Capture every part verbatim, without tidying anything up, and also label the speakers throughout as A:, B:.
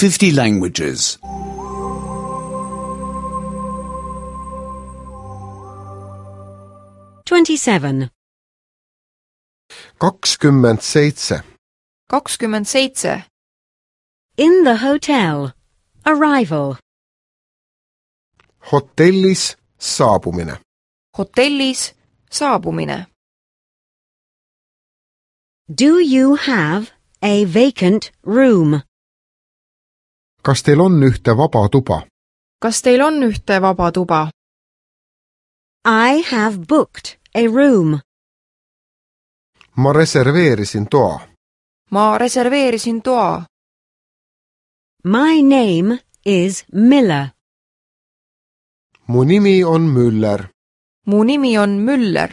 A: fifty languages.
B: twenty-seven.
C: kakskümmend seitse.
D: kakskümmend seitse.
B: In the hotel. Arrival.
C: hotellis saabumine.
D: hotellis saabumine.
B: Do you have a vacant room?
C: kas teil on ühte vaba tuba?
D: kas teil on ühte vaba tuba?
B: I have booked a room.
C: ma reserveerisin toa.
D: ma reserveerisin toa.
B: My name is Miller.
C: mu nimi on Müller.
D: mu nimi on Müller.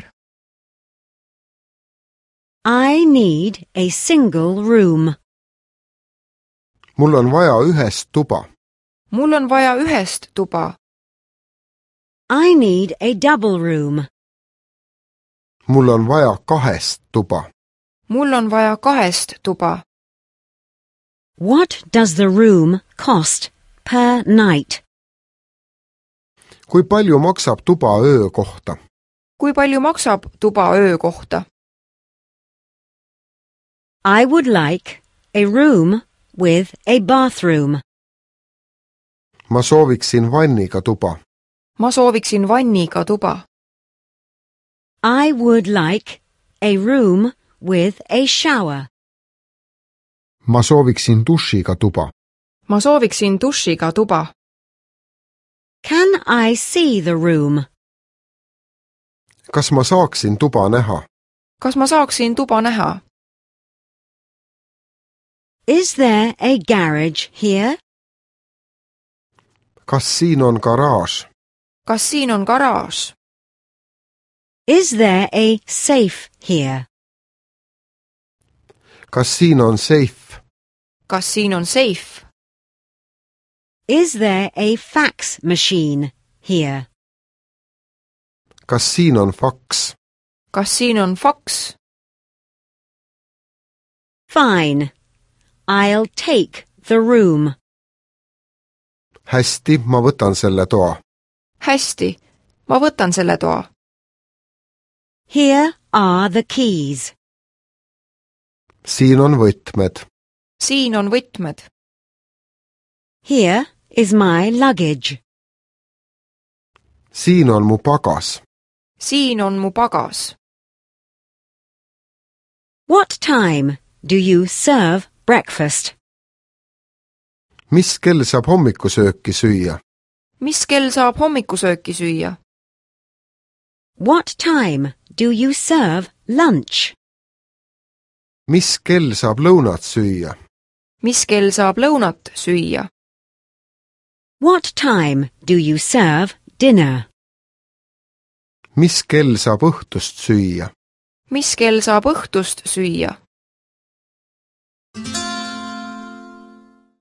B: I need a single room.
C: mul on vaja ühest tuba.
D: mul on vaja ühest tuba.
B: I need a double room.
C: mul on vaja kahest tuba.
D: mul on vaja kahest tuba.
B: What does the room cost per night?
C: kui palju maksab tuba öö kohta?
D: kui palju maksab tuba öö kohta?
B: I would like a room with a bathroom.
C: ma sooviksin vanniga tuba.
D: ma sooviksin vanniga tuba.
B: I would like a room with a shower.
C: ma sooviksin dušiga tuba.
D: ma sooviksin dušiga tuba.
B: Can I see the room?
C: kas ma saaksin tuba näha?
D: kas ma saaksin tuba näha?
B: Is there a garage here?
C: kas siin on garaaž?
D: kas siin on garaaž?
B: Is there a safe here?
C: kas siin on seif?
D: kas siin on seif?
B: Is there a fax machine here?
C: kas siin on faks?
D: kas siin on faks?
B: Fine. I'll take the room.
C: hästi, ma võtan selle toa.
D: hästi, ma võtan selle toa.
B: Here are the keys.
C: siin on võtmed.
D: siin on võtmed.
B: Here is my luggage.
C: siin on mu pagas.
D: siin on mu pagas.
B: What time do you serve breakfast?
C: mis kell saab hommikusööki süüa?
D: mis kell saab hommikusööki süüa?
B: What time do you serve lunch?
C: mis kell saab lõunat süüa?
D: mis kell saab lõunat süüa?
B: What time do you serve dinner?
C: mis kell saab õhtust süüa?
D: mis kell saab õhtust süüa?